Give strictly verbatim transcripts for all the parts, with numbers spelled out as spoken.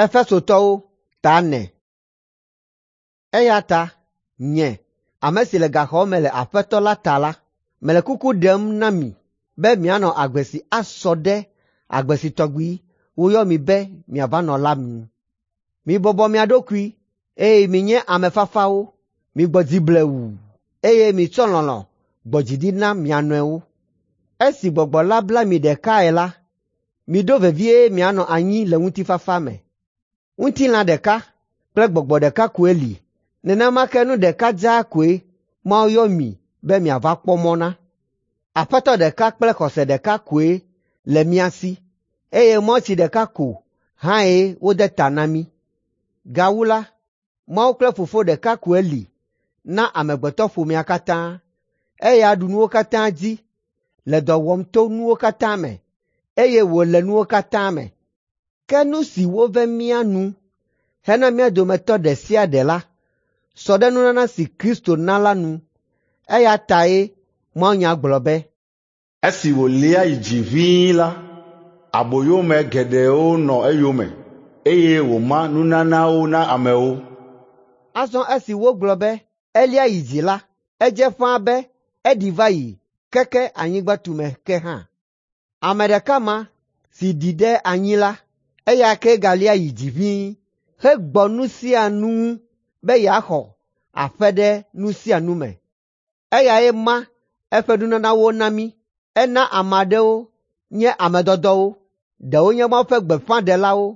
Efesotɔwo ta ene. Eya ta nye, ame si le gaxɔ me le Aƒetɔ la ta la, mele kuku ɖem na mi be mianɔ agbe si asɔ ɖe agbe si tɔgbi woyɔ mi be miava nɔ la nu. Mibɔbɔ mia ɖokui eye minye ame fafawo, migbɔ dzi blewu eye mitsɔ lɔlɔ̃ gbɔ dzi ɖi na mia nɔewo. Esi Gbɔgbɔ la bla mi ɖekae la, miɖo vevie mianɔ anyi le ŋutifafa me. Ŋutilã ɖeka kple gbɔgbɔ ɖeka koe li, nenema ke nu ɖeka dzaa koe Mawu yɔ mi be miava kpɔ mɔ na. Aƒetɔ ɖeka kple xɔse ɖeka koe le mía si eye mawutsi ɖeka ko hãe wode ta na mí. Gawu la, Mawu kple Fofo ɖeka koe li na amegbetɔƒomea katã. Eya ɖu nuwo katã dzi, le dɔ wɔm to nuwo katã me, eye wòle nuwo katã me. Ke nu si wove mía nu hena mía dometɔ ɖe sia ɖe la sɔ ɖe nunana si Kristo na la nu. Eya tae mawunya gblɔ be, Esi wòlia yi dzi ʋĩi la, aboyome geɖewo nɔ eyome eye wòma nunanawo na amewo. Azɔ esi wogblɔ be elia yi dzi la, edze ƒãa be eɖi va yi keke anyigba tume ke hã. Ame ɖeka ma si ɖi ɖe anyi la, eya kee galia yi dzi ʋĩi hegbɔ nu sia nu ŋu be yeaxɔ aƒe ɖe nu sia nu me. Eyae ma eƒe nunanawo na mí. Ena ame aɖewo nye ame dɔdɔwo, ɖewo nye Mawu ƒe gbeƒãɖelawo,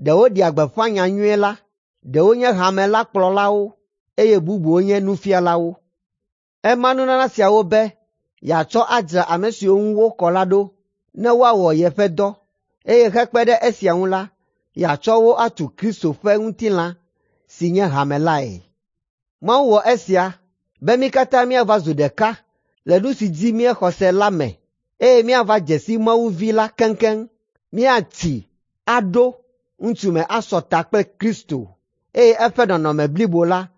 ɖewo ɖea gbeƒã nyanyui la, ɖewo nye hame la kplɔlawo eye bubuwo nye nufialawo. Ema nunana siawo be yeatsɔ adzra ame siwo ŋu wokɔ la ɖo ne woawɔ yeƒe dɔ, eye hekpe ɖe esia ŋu la, yeatsɔ wo atu Kristo ƒe ŋutilã si nye hame lae. Mawu wɔ esia be mí katã míava zu ɖeka le nu si dzi míexɔ se la me eye míava dze si Mawu Vi la keŋkeŋ, míatsi aɖo ŋutsume asɔ ta kple Kristo eye eƒe nɔnɔme blibo la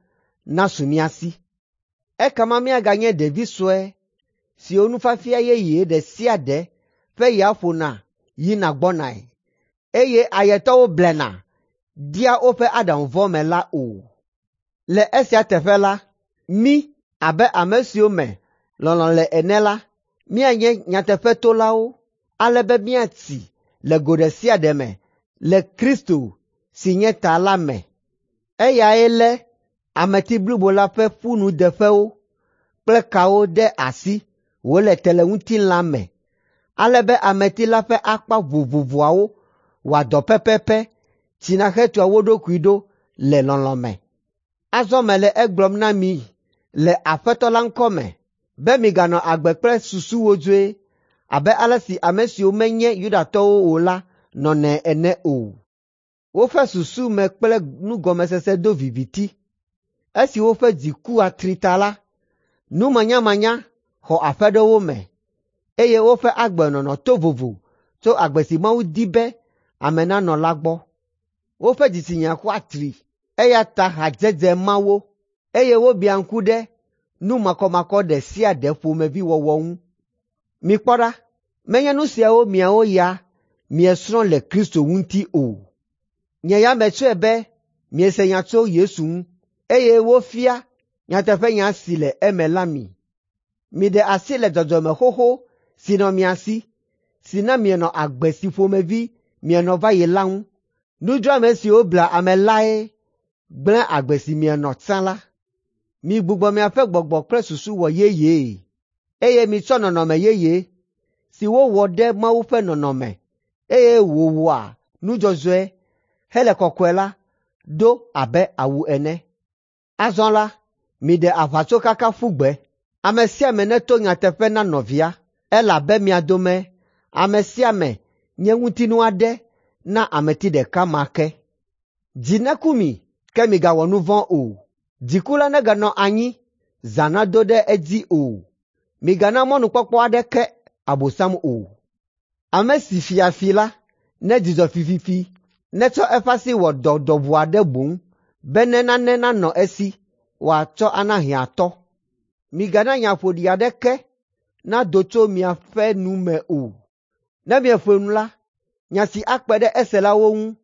nasu mía si. Ekema míaganye ɖevi sue siwo nufiafia yeye ɖe sia ɖe ƒe ya ƒona yina gbɔnae, eye ayetɔwo blena dia woƒe aɖaŋu vɔ̃ me la o. Le esia teƒe la, mí abe ame siwo me lɔlɔ̃ le ene la, míanye nyateƒetolawo ale be míatsi le go ɖe sia ɖe me le Kristo si nye ta la me. Eyae lé ameti blibo la ƒe ƒunudeƒewo kple kawo ɖe asi wòle te le ŋutilã me, ale be ameti la ƒe akpa vovovoawo wɔa dɔ pɛpɛpɛ tsina hetua wo ɖokui ɖo le lɔlɔ̃ me. Azɔ mele egblɔm na mi le Aƒetɔ la ŋkɔ me be miganɔ agbe kple susu wodzoe abe ale si ame siwo menye Yudatɔwo o la nɔnɛ ene o. Woƒe susu me kple nugɔmesese do viviti. Esi woƒe dzi ku atri ta la, numanyamanya xɔ aƒe ɖe wo me eye woƒe agbenɔnɔ to vovo tso agbe si Mawu di be ame nanɔ la gbɔ. Woƒe dzitsinya ku atri eya ta hadzedze ma wo eye wobiã ŋku ɖe nu makɔmakɔ ɖe sia ɖe ƒomevi wɔwɔ ŋu. Mikpɔ ɖa, menye nu siawo miawo ya miesrɔ̃ le Kristo ŋuti o. Nye ya metsɔe be miese nya tso Yesu ŋu eye wofia nyateƒenya si le eme la mi. Miɖe asi le dzɔdzɔme xoxo si nɔ mia si, si na mienɔ agbe si ƒomevi mienɔ va yi la ŋu. Nudzroame siwo blea ame lae gblẽ agbe si mienɔ tsã la. Migbugbɔ miaƒe gbɔgbɔ kple susu wɔ yeyee eye mitsɔ nɔnɔme yeye si wowɔ ɖe Mawu ƒe nɔnɔme eye wòwɔa nu dzɔdzɔe hele kɔkɔe la ɖo abe awu ene. Azɔ la, miɖe aʋatsokaka ƒu gbe. Ame sia ame neto nyateƒe na nɔvia elabe mia dome ame sia ame nye ŋutinu aɖe na ameti ɖeka ma ke. Dzi neku mi, ke migawɔ nu vɔ̃ o. Dziku la neganɔ anyi zã nado ɖe edzi o. Migana mɔnukpɔkpɔ aɖeke Abosam o. Ame si fia fi la nedzudzɔ fififi, netsɔ eƒe asi wɔ dɔ dɔʋu aɖe boŋ bene nane nanɔ esi wòatsɔ ana hiãtɔ. Migana nya ƒoɖi aɖeke nado tso miaƒe nu me o. Ne mieƒo nu la, nya si akpe ɖe eselawo ŋu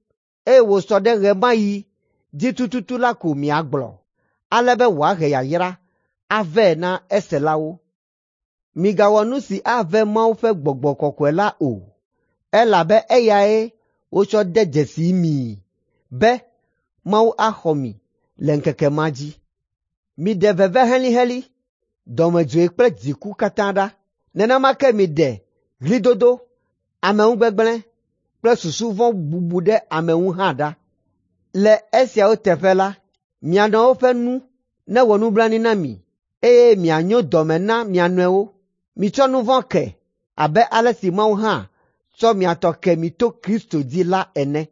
eye wòsɔ ɖe ɣe ma ɣi dzi tututu la ko miagblɔ, ale be wòahe yayra avɛ na eselawo. Migawɔ nu si ave Mawu ƒe Gbɔgbɔ Kɔkɔe la o, elabe eyae wotsɔ de dzesi mii be Mawu axɔ mi le ŋkeke ma dzi. Miɖe veve helĩhelĩ, dɔmedzoe kple dziku katã ɖa. Nenema ke miɖe ɣlidodo, ameŋugbegblẽ kple susu vɔ̃ bubu ɖe ame ŋu hã ɖa. Le esiawo teƒe la, mia nɔewo ƒe nu newɔ nublanui na mi, eye mianyo dɔme na mia nɔewo. Mitsɔ nu vɔ̃ ke abe ale si Mawu hã tsɔ mia tɔ ke mi to Kristo dzi la ene.